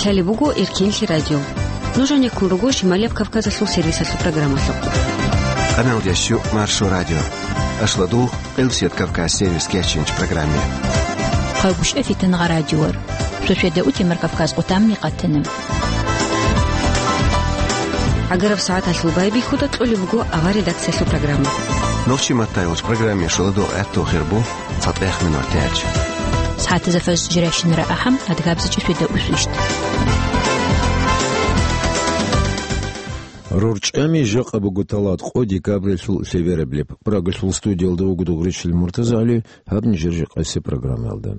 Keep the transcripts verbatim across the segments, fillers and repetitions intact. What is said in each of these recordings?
Лъалеб буго Эркенлъи радио. Нуж гьанеккун руго Шималияб Кавказалъул сервисалъул программалъухъ. Къаналдящу Маршо радио. Ашладул, Къилсият Кавказ сервис кечинч программе. Хъагушев Фитнагъа радиор. Шошеда утемар Кавказ къутамни къатана. ГӀагараб сагӀаталъул байбихьуда кьолеб буго авар редакциялъул программа. Нохчи маттайолч программе шоладо гӀатту хирбу. ЦатӀехъ минутач. СагӀатазда фажр жирайщинара ахӀам, адгабзачӀи шведа усвищт. РорчӀами жакъа буго талат къо декабралъул лъебераб леб. Прагалъул студиялда вуго Дугъричил МуртазагӀали, гьаб нижер жакъасеб программаялда.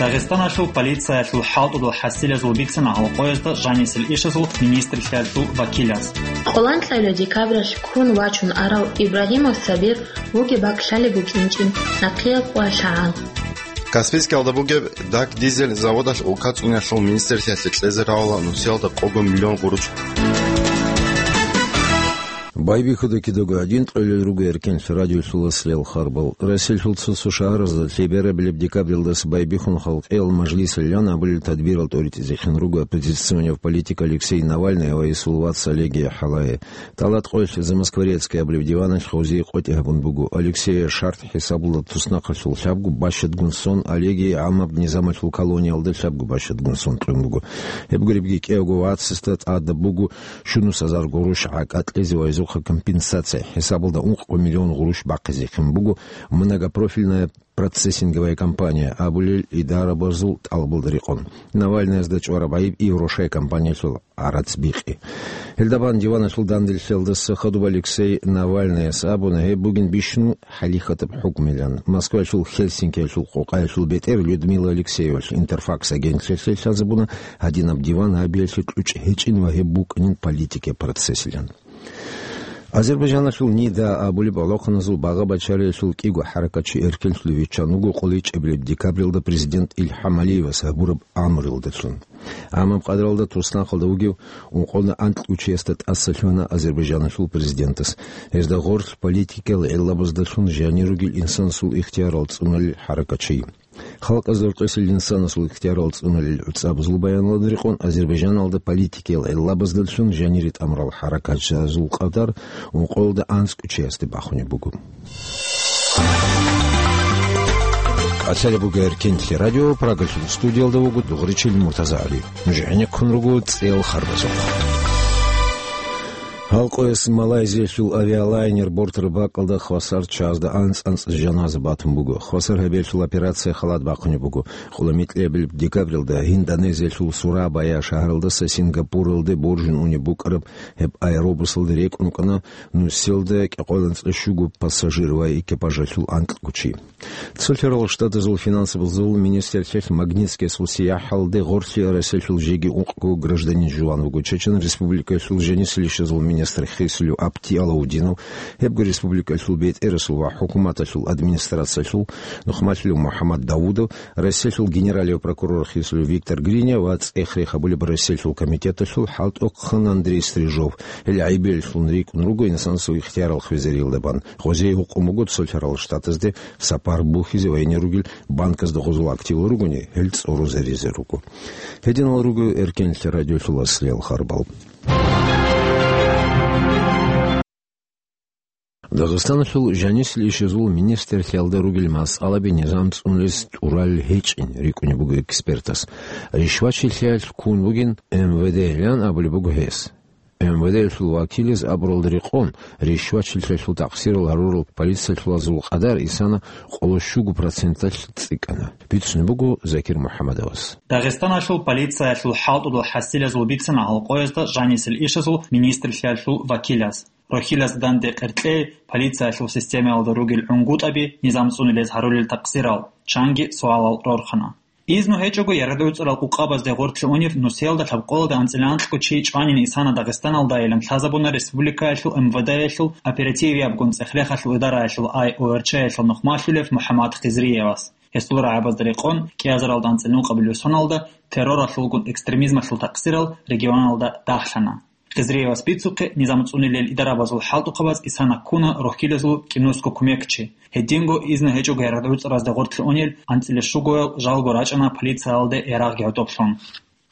Дагъистаналъул полициялъул хӀалтӀудул хӀасилазул бицана гьалкъоязда жанисел ишазул министрлъиялъул вакилаз. Къолан кьола декабралъ ккун вачун арав Ибрагьимов Сабир вугеб бакӀ лъалеб букӀинчӀин нахъеял къоялъ гӀан. Каспийскиялда бугеб дак дизель заводалъ улка цӀуниялъул министрлъиялъе кьезе равала нусиялда къого миллион гъуруч. Байбихьуда кидаго гьадин кьолел руго Эркенлъи радиолъул аслиял харбал. Россиялъул цо-цо шагьаразда лъеберабилеб декабралдаса байбихьун халкъиял мажлисалъан абулел тадбирал тӀоритӀизехъин руго оппозиционер политик Алексей Навальный ва гьесул вац Олег Яхалай. Талат къоялъ Замоскворецкий абулеб диваналъ гъозие къотӀи гьабун буго. Алексея шартӀ хӀисабалда туснахъалъул лъабго бащадгун сон, Олегие гӀамаб низамалъул колониялда лъабго бащадгун сон кьун буго. Гьеб гуребги кӀиявго вацасда тӀадаб буго щунус гьазар гъурущ гӀакӀа кьезе ва гьезухъа компенсация хӀисабалда ункъго миллион гъурущ бахъизехъин буго многопрофильная процессинговая компания абулел идарабазул тӀалабалда рекъон. Навальныязда чӀвараб гӀайиб Еврошай компаниялъул гӀарац бикъи. Гьелдабан диваналъул данделъиялдаса хадуб Алексей Навальныяс абуна, гьеб бугин бищун хӀалихьатаб хӀукмилан. Москваялъул Хельсинкиялъул къокъаялъул бетӀер Людмила Алексеевалъ Интерфакс агентлъиялъе лъазабуна, гьадинаб диван гьабиялъе кьучӀ гьечӀин ва гьеб букӀанин политикияб процессилан. Азербайджаналъул НИДА абулеб гӀолохъаназул багъа-бачариялъул кӀиго хӀаракатчи эркенлъулев виччан вуго къоличӀебилеб декабралда президент Илхам Алиевас гьабураб амралдалъун. Амма къадралда туснахъалда вугев ункъоялда анкьго чиясда тӀаса лъугьана Азербайджаналъул президентас. Гьезда гъорлъ политикиял гӀиллабаздалъун жанир ругел инсанасул ихтиярал цӀуналел хӀаракатчи. Халкъазда рукъисел инсанасул ихтиярал цӀуналел гӀуцӀабазул баяналда рекъон Азербайджаналда политикиял гӀиллабаздалъун жанире тӀамурал хӀаракатчиязул къадар ункъоялда анцӀго чиясде бахунеб буго. Лъалеб буго Эркенлъи радио, Прагалъул студиялда вуго Дугъричил МуртазагӀали. Нуж гӀенеккун руго цӀел харбазухъ. Гьалкъояс Малайзиялъул авиалайнер бортараб бакӀалда хвасар чазда анцӀ-анцӀ жаназа батун буго. Хвасар гьабиялъул операция халат бахъунеб буго. Къуламикьабилеб декабралда Индонезиялъул Сурабая шагьаралдаса Сингапуралде боржун унеб букӀараб гьеб аэробусалда рекӀун рукӀана нусиялда кӀикъоялда анцӀила щуго пассажир ва экипажалъул анкьго чи. Цолъарал Штатазул финансабазул министрлъиялъ Магнитскиясул сияхӀалде гъорлъе Россиялъул жеги ункъго гражданин жуван вуго. Чечен Республикаялъул жанисел ишазул министр хисулев Апти Алаудинов, гьебго республикаялъул бетӀерасул ва хӀукуматалъул администрациялъул нухмалъулев МухӀаммад Давудов, Россиялъул генералияв прокурор хисулев Виктор Гриня ва цӀех рехабулеб Россиялъул комитеталъул хӀалтӀухъан Андрей Стрижов. Гьел гӀайибилеллъун рикӀкӀун руго инсанасул ихтиярал хвезариялда бан. Гъозие гьукъун буго Цолъарал Штатазде сапар бухьизе ва гьенир ругел банказда гъозул активал ругони, гьел цӀорозаризе руго. Гьединал руго Эркенлъи радиолъул аслиял харбал. Дагъистаналъул жанисел ишазул министрлъиялда ругел масъалаби низам цӀунулез тӀурал гьечӀин рикӀкӀунеб буго экспертас. Ришвачилъиялъ ккун бугин М В Д-ян абулеб буго гьес. М В Д-ялъул вакилаз абуралда рекъон, ришвачилъиялъул такъсирал гьарурал полициялъулазул къадар исана къоло щуго проценталъ цӀикӀкӀана. Бицунеб буго Закир МухӀаммадовас. Дагъистаналъул полициялъул хӀалтӀудул хӀасилазул бицана гьалкъоязда жанисел ишазул министрлъиялъул вакилаз. Рохьилазда данде къеркьей полициялъул системаялда ругел гӀунгутӀаби низам цӀунулез гьарулел такъсирал чанги суалал рорхана. Изну гьечӀого, яргъи-уцӀарал къукъабазде гъорлъе унев нусиялда лъабкъоялда анцӀила анкьго чи чӀванин исана Дагъистаналдайилан лъазабуна республикаялъул М В Д-ялъул оперативиябгун цӀех-рехалъул идараялъул ай О Р Ч-ялъул нухмалъулев МухӀаммад Хизриевас. Гьесул рагӀабазда рекъон, кӀиазаралда анцӀила ункъабилеб соналда терроралъулгун экстремизмалъул такъсирал регионалда дагьлъана. Хизриевас бицухъе, низам цӀунилел идарабазул хӀалтӀухъабаз Исана ккуна рохьилазул кӀинусго кумекчи. Гьединго изну гьечӀого гӀергъуцӀразде гъоркье унел анцӀила щугоял жалго рачӀана полициялде ярагъги гӀодоблъун.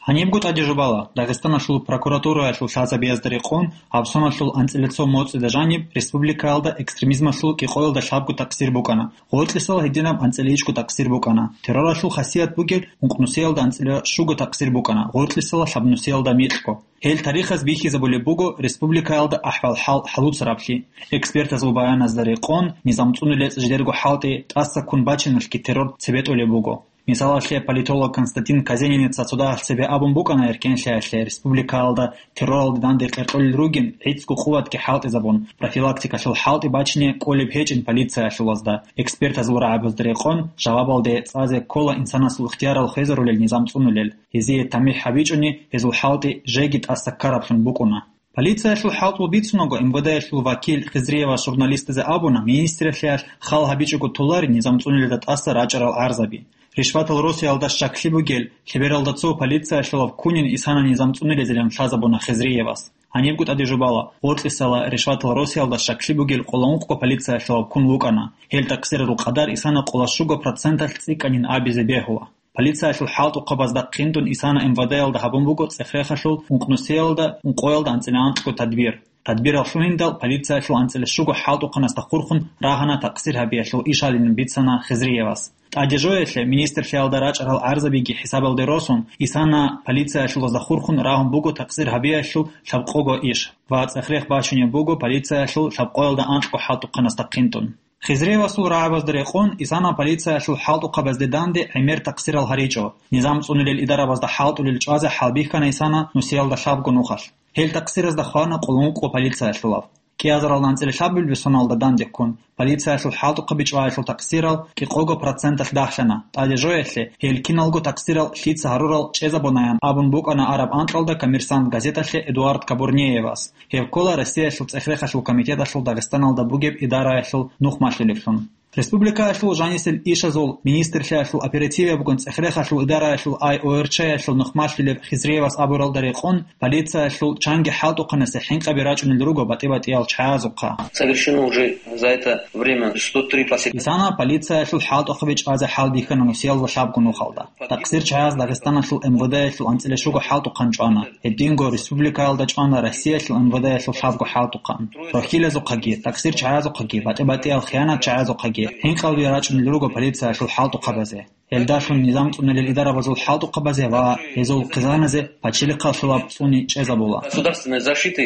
Гьанибго тӀаде жубала, Дагъистаналъул прокуратураялъул лъазабиязда рекъон гьабсоналъул анцӀила цо моцӀида жаниб республикаялда экстремизмалъул кӀикъоялда лъабго такъсир букӀана, гъоркьисала гьединаб анцӀила ичӀго такъсир букӀана, терроралъул хасият бугел ункънусиялда анцӀила щуго такъсир букӀана, гъоркьисала лъабнусиялда микьго. Гьел тарихаз бихьизабулеб буго республикаялда ахӀвал-хӀал хӀалуцараблъи. Экспертазул баяназда рекъон, низам цӀунулел жидерго хӀалтӀи тӀаса ккун бачиналъги террор цебетӀулеб буго. Мисалалъе, политолог Константин Казениница цо дагьалъ цебе абун букӀана, эркенлъиялъе республикаялда терроралде данде къеркьулел ругин, гӀицӀго къуватги хӀалтӀизабун, профилактикалъул хӀалтӀи бачине кӀолеб гьечӀин полициялъулазда. Экспертазул рагӀабазда рекъон, жавабалде цӀазе ккола инсанасул ихтиярал хвезарулел низам цӀунулел. Гьезие тамихӀ гьабичӀони, гьезул хӀалтӀи жеги тӀаса ккараблъун букӀуна. Полициялъул хӀалтӀул бицунаго, МВД-ялъул вакил Хизриевас журналистазе абуна, министралъиялъ хал гьабичӀого толари низам цӀунилелда тӀаса рачӀарал гӀарзаби. Ришватал росиялда щаклъи бугел лъебералда цо полициялъулав ккунин Исана низам цӀунилезилан лъазабуна Хизриевас. Гьанибго тӀаде жубала, гъоркьисала ришватал росиялда щаклъи бугел къоло ункъго полициялъулав ккун вукӀана. Гьел такъсирарул къадар Исана къоло щуго проценталъ цӀикӀкӀанин абизе бегьула. Полициялъул хӀалтӀухъабазда хъинтӀун Исана МВД-ялда гьабун буго цӀехрехалъул ункънусиялда, ункъоялда анцӀила анкьго тадбир. Тадбирал лъугьиндал полициялъул анцӀила щуго хӀалтӀухъанасда хурхун рагьана такъсир гьабиялъул ишалин бицана Хизриевас. ТӀаде жоялъе министрлъиялда рачӀарал гӀарзабиги хӀисабалде росун, Исана полициялъулазда хурхун рагьун буго такъсир гьабиялъул лъабкъого иш ва цӀехрех бачунеб буго полициялъул лъабкъоялда анкьго хӀалтӀухъанасда хъинтӀун. Хизриевасул рагӀабазда рекъон, Исана полициялъул хӀалтӀухъабазде данде гӀемер такъсирал гьаричӀо. Низам цӀунулел идарабазда хӀалтӀулел чӀвазе хӀалбихьана Исана нусиялда лъабго нухалъ. Гьел такъсиразда хвана къулмукъго полициялъулав. КӀиазарал анцӀила лъабабилеб соналда данде ккун, полициялъул хӀалтӀухъаби чӀваялъул такъсирал кӀикъого проценталъ дагьлъана. ТӀаде жоялъе, гьел киналго такъсирал лъица гьарурал чӀезабунаян абун букӀана араб анкьалда «Коммерсант» газеталъе Эдуард Кабурнеевас. Гьев ккола Россиялъул цӀехрехалъул комитеталъул Дагъистаналда бугеб идараялъул нухмалъулевлъун. Республикаялъул жанисел ишазул министрлъиялъул оперативиябгун цӀехрехалъул идараялъул ай ОРЧ-ялъул нухмалъулев Хизриевас абуралда рекъон, полициялъул чанги хӀалтӀухъанасе хӀинкъаби рачӀунел руго батӀи-батӀиял чагӀазухъа. Совершено уже за это время сто три посещения. Исана полициялъул хӀалтӀухъаби чӀвазе хӀалбихьана нусиялда лъабго нухалда. Такъсир чагӀаз Дагъистаналъул МВД-ялъул анцӀила щуго хӀалтӀухъан чӀвана. Гьединго республикаялда чӀвана Россиялъул МВД-ялъул лъабго хӀалтӀухъан. Рохьилазухъаги, такъсир чагӀазухъаги, батӀи-батӀиял хиянат чагӀазухъаги хӀинкъалби рачӀунел руго полициялъул хӀалтӀухъабазе. Гьелдалъун низам цӀунулел идарабазул хӀалтӀухъабазе ва гьезул хъизаназе пачелихъалъулаб цӀуни чӀезабула. Государственной защиты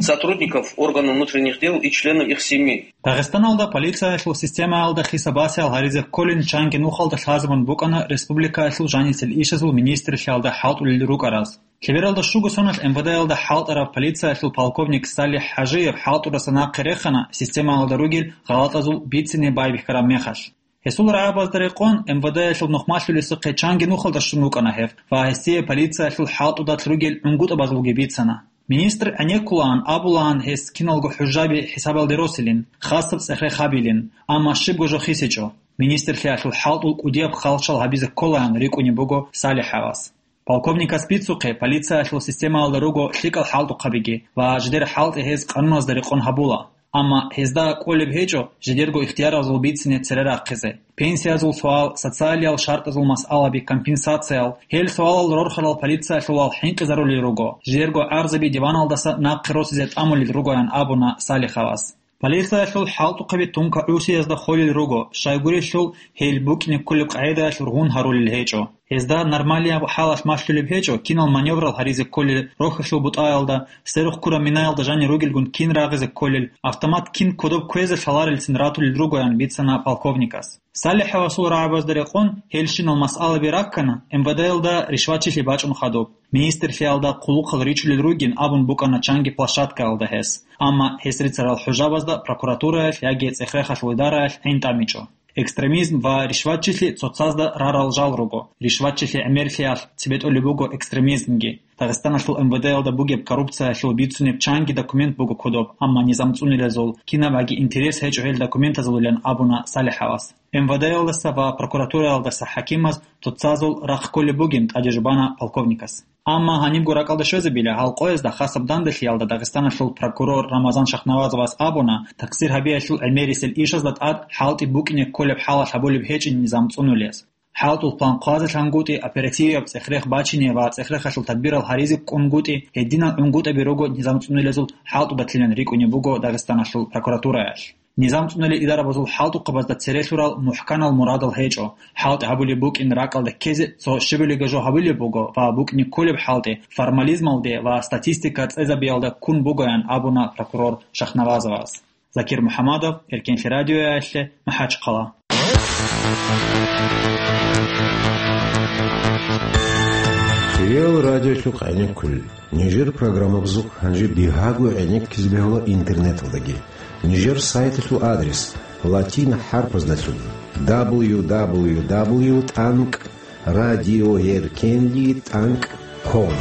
сотрудников органов внутренних дел и членов их семей. Дагъистаналда полициялъул системаялда хисабасиял гьаризе кколин чанги нухалда лъазабун букӀана республикаялъул жанисел ишазул министрлъиялда хӀалтӀулел рукӀараз. Лъебералда щуго соналъ МВД-ялда хӀалтӀарав полициялъул полковник Салих ХӀажиев хӀалтӀураса нахъе рехана системаялда ругел гъалатӀазул бицине байбихьараб мехалъ. Гьесул рагӀабазда рекъон, МВД-ялъул нухмалъулесухъе чанги нухалда щун вукӀана гьев ва гьесие полициялъул хӀалтӀудалъ ругел гӀунгутӀабазулги бицана. Министр гӀенеккулаан абулаан гьес киналго хӀужаби хӀисабалде росилин, хасаб цӀехрехабилин, амма щибго жо хисичӀо. Министрлъиялъул хӀалтӀул кӀудияб халчал гьабизе кколаан рикӀкӀунеб буго СалихӀавас. Полковникас бицухъе, полициялъул системаялда руго лъикӀал хӀалтӀухъабиги ва жидер хӀалтӀи гьез къануназда рекъон гьабула. Амма гьезда кӀолеб гьечӀо жидерго ихтияразул бицине цере рахъизе. Пенсиязул суал, социалиял шартӀазул масъалаби, компенсациял, гьел суалал рорхарал полициялъулал хӀинкъизарулел руго, жидерго гӀарзаби диваналдаса нахъе росизе тӀамулел ругоян абуна СалихӀавас. Полициялъул хӀалтӀухъаби тункагӀусиязда холел руго, щайгурелъул гьел букӀине кколеб къагӀидаялъ ругьун гьарулел гьечӀо. Гьезда нормалияб хӀалалъ малъулеб гьечӀо, кинал маневрал гьаризе кколел рохьалъул бутӀаялда, сверухъ ккураб минаялда жанир ругелгун кин рагъизе кколел, автомат кин кодоб кквезе лъаларелцин ратулел ругоян бицана полковникас. СалихӀавасул рагӀабазда рекъон, гьелщинал масъалаби раккана, МВД-ялда ришватчилъи бачӀун хадуб. Министрлъиялда хъулухъал ричулел ругин абун букӀана чанги площадкаялда гьес. Амма гьес рицарал хӀужабазда прокуратураялъ яги цӀехрехалъул идараялъ гӀин тӀамичӀо. Экстремизм ва ришватчилъи цоцазда рарал жал руго. Ришватчилъи гӀемерлъиялъ цебетӀулеб буго экстремизмги. Дагъистаналъул МВД-ялда бугеб коррупциялъул бицунеб чанги документ буго кодоб, амма низам цӀунилазул кинабаги интерес гьечӀо гьел документазулилан абуна СалихӀавас. МВД-ялдаса ва прокуратураялдаса хӀакимаз цоцазул рахъ кколеб бугин тӀаде жубана полковникас. Амма гьанибго ракӀалде щвезабила, гьал къоязда хасаб данделъиялда Дагъистаналъул прокурор Рамазан Шахнавазовас абуна, такъсир гьабиялъул гӀемерисел ишазда тӀад хӀалтӀи букӀине кколеб хӀалалъ гьабулеб гьечӀин низам цӀунулес. ХӀалтӀул план хъвазелъангутӀи, оперативияб цӀех-рех бачине ва цӀех-рехалъул тадбирал гьаризе ккунгутӀи, гьединал гӀунгутӀаби руго низам цӀунулезул хӀалтӀудалъилан рикӀкӀунеб буго Дагъистаналъул прокуратураялъ. Низам цӀунулел идарабазул хӀалтӀухъабазда церелъурал мухӀканал мурадал гьечӀо. ХӀалтӀи гьабулеб букӀин ракӀалде ккезе цо щибилиги жо гьабулеб буго ва букӀине кколеб хӀалтӀи формализмалде ва статистика цӀезабиялда ккун бугоян абуна прокурор Шахнавазовас. Закир МухӀамадов, Эркенлъи радиоялъе, МахӀачхъала. Хириял радиолъухъ гӀенеккулел. Нижер программабазухъ гьанже бигьаго гӀенеккизе бегьула интернеталдаги. Нижер сайталъул адрес латин хӀарпаздалъун: дабл ю дабл ю дабл ю тӀанкӀ радиоеркенли тӀанкӀ ком.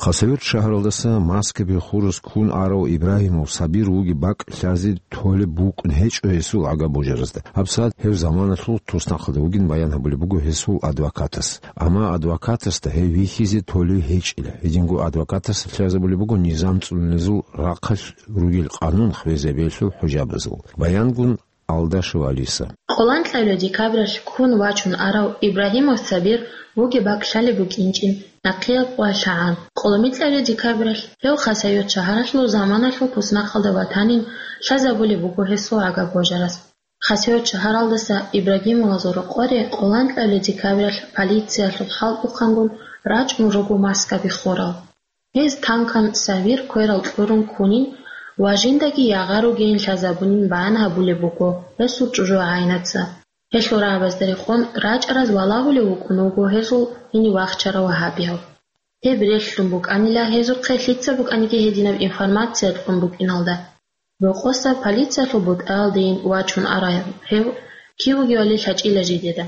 Хасавюрт шагьаралдаса Маскаби хурас ккун арав Ибрагьимов Сабир вугеб бакӀ лъазе толеб букӀун гьечӀо гьесул агабожаразда. ГьабсагӀат гьев заманалъул туснахъалда вугин баян гьабулеб буго гьесул адвокатас. Амма адвокатасда гьев вихьизе толев гьечӀила. Гьединго адвокатас лъазабулеб буго низам цӀунулезул рахъалъ ругел къанун хвезабиялъул хӀужабазул. Баянгун Алдашев Алиса. Къоланкьабилеб декабралъ ккун вачун арав Ибрагьимов Сабир вугеб бакӀ лъалеб букӀинчӀин нахъеяб къвалъагӀан. Къоломикьабилеб декабралъ гьев Хасавюрт шагьаралъул заманалъул туснахъалда ватанин лъазабулеб буго гьесул агабожарас. Хасавюрт шагьаралдаса Ибрагьимовазул рокъоре къоланкьабилеб декабралъ полициялъул хӀалтӀухъангун рачӀун руго Маскаби хурал. Гьез танкан Сабир кверал кьурун ккунин ва жиндаги ягъа ругейин лъазабунин баян гьабулеб буго гьесул чӀужугӀаинаца. Гьелъул рагӀабазда рекъон рачӀараз валагьулев вукӀун вуго гьезул гьенив вахчарав вагьабияв. Гьеб релълъун букӀанила гьезухъе лъица букӀаниги гьединаб информация кьун букӀиналда. Рокъоса полициялъул бутӀаялдейин вачун арав гьев кив вугевали лъачӀила жидеда.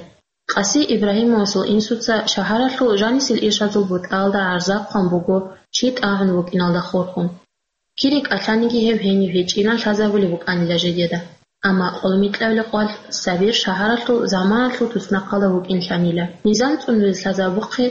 Къаси Ибрагьимовасул инсуца шагьаралъул жанисел ишазул бутӀаялда гӀарза хъван буго чи тӀагӀун вукӀиналда хурхун. Кири кӀалъаниги гьев гьенив гьечӀилан лъазабулеб букӀанила жидеда. Амма къолмикьабилеб къвалъ Сабир шагьаралъул заманалъул туснахъалда вукӀинлъанила. Низам цӀунулез лъазабухъе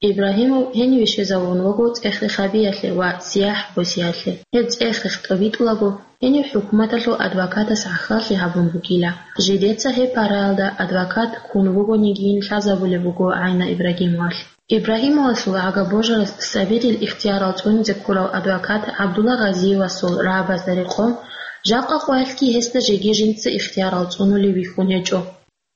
Ибрагьимов гьениве щвезавун вуго цӀех-рехабиялъе ва сияхӀ босиялъе. Гьеб цӀех-рех тӀобитӀулаго, гьенив хӀукуматалъул адвокатас гӀахьаллъи гьабун бугила. Жидеца гьеб параялда адвокат ккун вугонигийин лъазабулеб буго гӀайна Ибрагьимовалъ. Ибрагьимовасул агабожарас Сабирил ихтиярал цӀунизе ккурав адвокат ГӀабдулла Гъазиевасул рагӀабазда рекъон, жакъа къоялъги гьесда жеги жинца ихтиярал цӀунулев вихьун гьечӀо.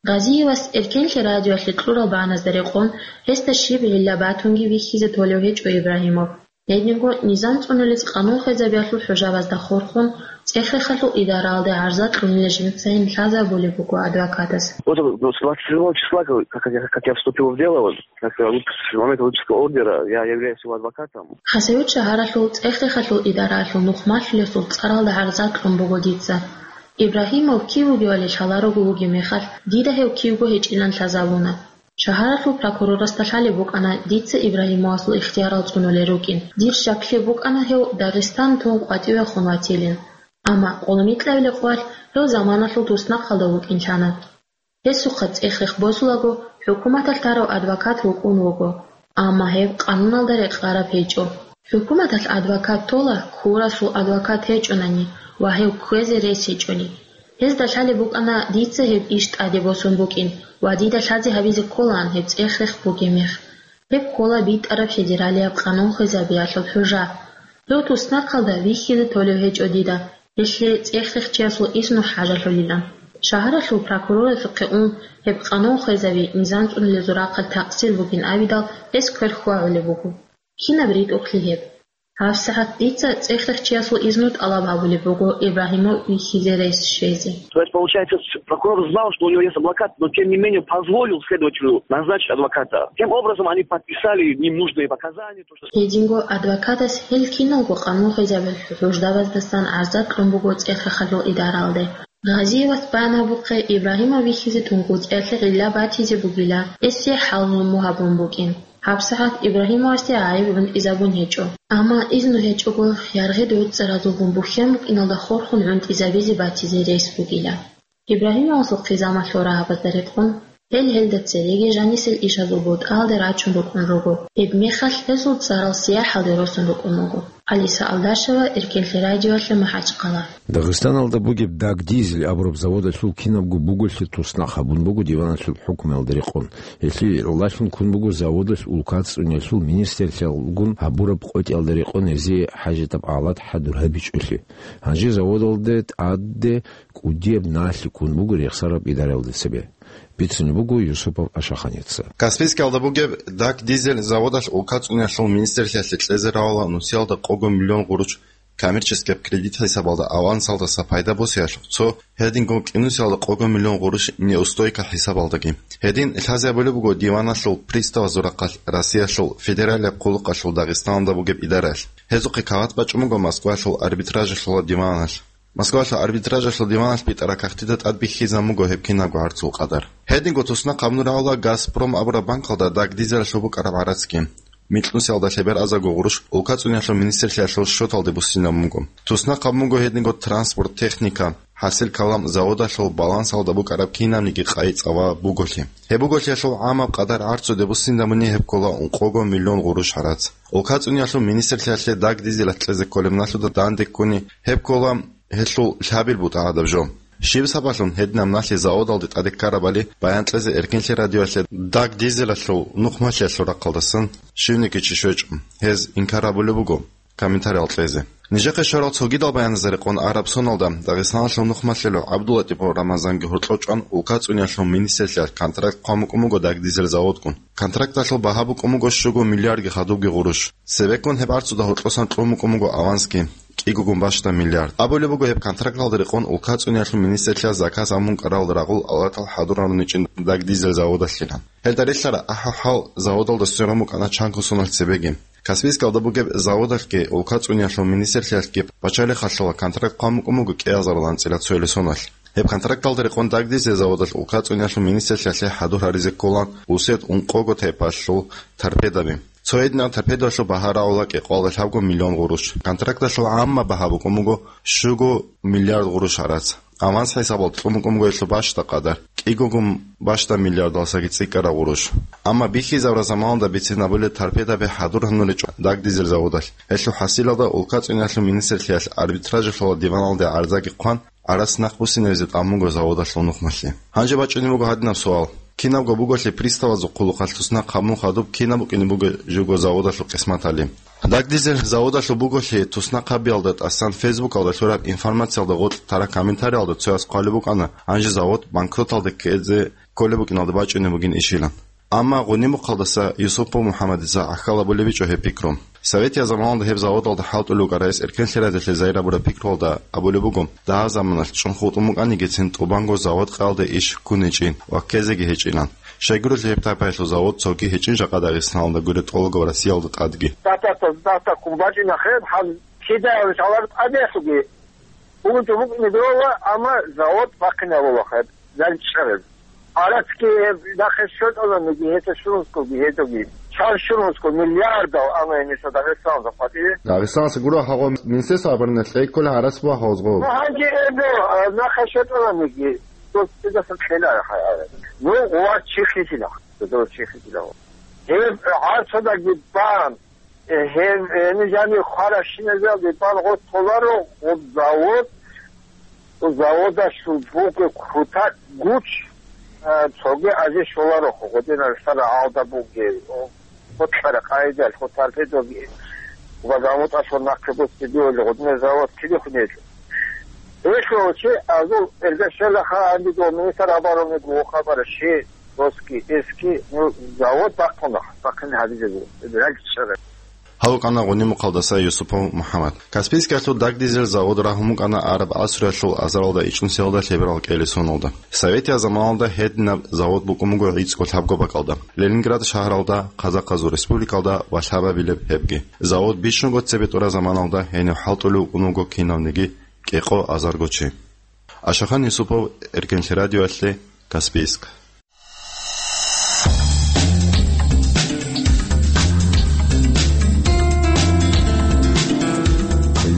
Гъазиевас Эркенлъи радиоялъе кьурал багӀназда рекъон, гьесда щиб гӀилла батунги вихьизе толев гьечӀо Ибрагьимов. Гьединго низам цӀунулез къанун хвезабиялъул хӀужабазда хурхун, цӀех-рехалъул идараялде гӀарза кьунила жинцайин лъазабулеб буго адвокатас. Вот, ну, с двадцать седьмого числа, как, как я, как я вступил в дело, вот, как, э, выпуск-, с момента выпуска ордера я являюсь его адвокатом. Хасавюрт шагьаралъул цӀех-рехалъул идараялъул нухмалъулесул цӀаралда гӀарза кьун буго дица. Ибрагьимов кив вугевали лъаларого вугеб мехалъ, дида гьев кивго гьечӀилан лъазабуна. Шагьаралъул прокурорасда лъалеб букӀана дица Ибрагьимовасул ихтиярал цӀунулел рукӀин. Дир щаклъи букӀана гьев Дагъистан тун къватӀивехун ватилин. Амма къолмикьабилеб къвалъ гьев заманалъул туснахъалда вукӀинлъана. Гьесухъа цӀех-рех босулаго, хӀукуматалъ тарав адвокат вукӀун вуго, амма гьеб къануналда рекъараб гьечӀо. ХӀукуматалъ адвокат тола, ккурасул адвокат гьечӀонани ва гьев кквезе рес гьечӀони. Гьезда лъалеб букӀана дица гьеб иш тӀаде босун букӀин ва дида лъазе гьабизе кколаан гьеб цӀех-рех бугеб мех. Гьеб ккола битӀараб федералияб къанун хвезабиялъул хӀужа. Гьев туснахъалда вихьизе толев гьечӀо дида, гьелъие цӀех-рех чиясул изну хӀажалъулилан. Шагьаралъул прокуроралъухъе ун, гьеб къанун хвезаби низам цӀунулезул рахъалъ такъсир бугин абидал, гьес квер хьвагӀулеб буго. Кинаб ритӀухълъи гьеб? ГьабсагӀат дица цӀех-рех чиясул изну тӀалаб гьабулеб буго Ибрагьимов вихьизе рес щвезе. То есть, получается, с-, прокурор знал, что у него есть адвокат, но тем не менее позволил следователю назначить адвоката. Тем образом, они подписали ненужные показания, то, что... Гьединго адвокатас гьел киналго къанун хвезабиялъул хӀуждабаздасан гӀарза кьун буго цӀех-рехалъул идаралде. Гъазиевас бан гьабухъе Ибрагьимов вихьизе тункӀуцӀиялъе гӀилла батизе бугила, гьесие хӀалмуму гьабун букӀин. ГьабсагӀат Ибрагьимовасде гӀайиб гӀунтӀизабун гьечӀо. Амма изну гьечӀого, яргъи гӀуцӀаразулгун бухьен букӀиналда хурхун гӀунтӀизабизе батизе рес бугила. Ибрагьимовасул хъизамалъул рагьабазда рекъон, Гьел гьелда цереги жанисел ишазул бутӀалде рачун рукӀун руго. Гьеб мехалъ гьезул цӀарал сияхӀалде росун рукӀун буго. Алиса Алдашева, Эркенлъи радиоялъе, МахӀачхъала. Дагъистаналда бугеб Дагдизель абураб заводалъул кинабго буголъи туснахъ гьабун буго диваналъул хӀукмуялда рекъон. Гьелъие гӀолалъун ккун буго заводалъ улкацӀцӀуниялъул министрлъиялгун гьабураб къотӀиялда рекъон гьезие хӀажатаб гӀалат хӀадур гьабичӀолъи. Гьанже заводалде тӀаде кӀудияб налъи ккун буго рехсараб идараялда цебе. Бицунеб буго Юсупов Ашаханица. Каспийскиялда бугеб Дагдизель заводалъ улкацӀуниялъул министрлъиялъе кьезе равала нусиялда къого миллион гъурущ коммерческеб кредит хӀисабалда авансалдаса пайда босиялъухъ цо, гьединго кӀинусиялда къого миллион гъурущ неустойка хӀисабалдаги. Гьедин лъазе абулеб буго диваналъул приставазул рахъалъ Россиялъул федералияб хъулухъалъул Дагъистаналда бугеб идараялъ. Гьезухъе кават бачӀун буго Москваялъул арбитражалъула диваналъ. Москвалъул арбитражалъул диваналъ битӀараб кагътида тӀад бихьизабун буго гьеб кинабго гӀарцул къадар. Гьединго туснахъ гьабун рагӀула «Газпром» абураб банкалда Дагдизелалъул букӀараб гӀарацги. Микьнусиялда лъебераб азарго гъурущ улкацӀуниялъул министрлъиялъул счеталде буссинабун буго. Туснахъ гьабун буго гьединго транспорт, техника, хӀасил калам, заводалъул балансалда букӀараб кинабниги къайи-цӀава буголъи. Гьеб буголъиялъул гӀамаб къадар гӀарцуде буссинабуни гьеб ккола ункъого миллион гъурущ гӀарац. УлкацӀуниялъул министрлъиялъе Дагдизелалъ кьезе кколеб налъуда данде ккуни гьеб ккола гьелъул лъабил бутӀа гӀадаб жо. Щиб сабаблъун гьединаб налъи заводалде тӀаде ккарабали баян кьезе Эркенлъи радиоялъе Дагдизелалъул нухмалъиялъул рахъалдасан щивниги чи щвечӀо. Гьез инкар гьабулеб буго комментариял кьезе. Нижехъе щварал цогидал баяназда рекъон араб соналда Дагъистаналъул нухмалъилев ГӀабдуллатӀипов Рамазанги гьоркьов чӀван улкацӀуниялъул министрлъиялъ контракт хъван букӀун буго Дагдизель заводгун. Контракталъул багьа букӀун буго щуго миллиардги хадубги гъурущ. Цебеккун гьеб гӀарцуда гьоркьосан кьун букӀун буго авансги, кӀигогун бащдаб миллиард. Абулеб буго гьеб контракталда рекъон улкацӀуниялъул министрлъиялъ заказ гьабун кӀаралда рагъул алатал хӀадур гьарун гьечӀин Дагдизель заводалъилан. Гьелда релълъараб ахӀи-хӀал заводалда сверун букӀана чанго соналъ цебеги. Каспийскалда бугеб заводалъги улкацӀуниялъул министрлъиялъги пачалихъалъула контракт хъван букӀун буго кӀиазарилан анцӀила цоял соналъ. Гьеб контракталда рекъон Дагдизель заводалъ улкацӀуниялъул министрлъиялъе хӀадур гьаризе кколан усед ункъого тайпалъул торпедаби. Цо гьединаб торпедалъул багьа рагӀула кӀикъоялда лъабго миллион гъурущ. Контракталъул гӀаммаб багьа букӀун буго щуго миллиард гъурущ гӀарац. Аванс хӀисабалда кьун букӀун буго гьелъул бащдаб къадар, кӀигогун бащдаб миллиардалдасаги цӀикӀкӀараб гъурущ. Амма бихьизабураб заманалда бицин абулеб торпедаби хӀадур гьануричӀо Дагдизель заводалъ. Гьелъул хӀасилалда улкацӀуниялъул министрлъиялъ арбитражалъула диваналде гӀарзаги хъван, гӀарац нахъ буссинабизе тӀамун буго заводалъул нухмалъи. Гьанже бачӀунеб буго гьадинаб суал: кинабго буголъи приставазул хъулухъалъ туснахъ гьабун хадуб кинаб букӀине буго живго заводалъул къисматали? Дагдизель заводалъул буголъи туснахъ гьабиялда тӀасан Фейсбукалда лъураб информациялда гъоркь тараб комментариялда цояс хъвалеб букӀана, гьанже завод банкроталде ккезе кколеб букӀиналда бачӀунеб бугин ишилан. Амма Гъунимухъалдаса Юсупов МухӀаммадица гӀахьал абулеб гьечӀо гьеб пикру. Советияб заманалда гьеб заводалда хӀалтӀулев вукӀарайс Эркенлъи радиоялъе зайрабураб пикруялда абулеб буго, дагьаб заманалъ чӀун хутӀун букӀанигицин тӀубанго завод къаялде иш ккун гьечӀин ва ккезеги гьечӀилан. Щайгурелъул гьеб тайпаялъул завод цоги гьечӀин жакъа Дагъистаналда гуреб тӀолго ва Россиялда тӀадги. Дата-, дата ккун бачӀина хъеб, гьаб кидаялъ гьалар тӀадеялъуги. Унту букӀине дола, амма завод бахъине гьабула хъеб, занчӀараб. Гьарацги нахъе щотӀананиги, гьета щунусгоги, гьедоги. Чан щунусго миллиардал ана гьениса Дагъистаналда къватӀиве. Дагъистаналъа гуро гьагъо Министерство обороны кьейккола гьарас буа гьозго. Ну, гьанже эбо, а, нахъе щотӀананиги, дос цидасан кьела хай. Ну, гъова чи хисила, дос чи хисила. Гьеб гӀарцадаги бан, Э, гьеб, э, гьениб жаниб хваращиназалде балгъо толаро гъоб завод, гъоб заводалъул бугеб кутакӀ гуч, э, цоги азе щоларо, гъодинал сара гьалда бугеб, о, гъотлъара къайдал, гъо торпедоги, ва заводалъул нахъе буцебиули, гъодинал завод киде хунелъул. Гьелъул чи азул эргашелаха гьаниб министр обороны гуо хабар щи. Доски, эски, ну, завод бахъуна, бахъин гьабизего, рагчара. Гьав вукӀана Гъунимухъалдаса Юсупов МухӀаммад. Каспийскиялъул дагдизель завод рагьун букӀана араб гӀасруялъул азаралда ичӀнусиялда лъеберал кӀели соналда. Советияб заманалда гьединаб завод букӀун буго гӀицӀго лъабго бакӀалда, Ленинград шагьаралда, Казахъазул республикалда ва лъабабилеб гьебги. Завод бищунго цебетӀураб заманалда гьенив хӀалтӀулев вукӀун вуго кинавниги кӀикъо азарго чи. Ашахан Юсупов, Эркенлъи радиоялъе, Каспийск.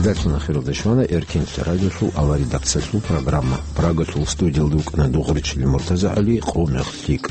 Гьалъун ахиралда щвана Эркинлъи радиолъул аваридакциялъул программа. Прагалъул студиялда вукӀана Дугъричилин МуртазагӀали, Къо мех лъикӀ.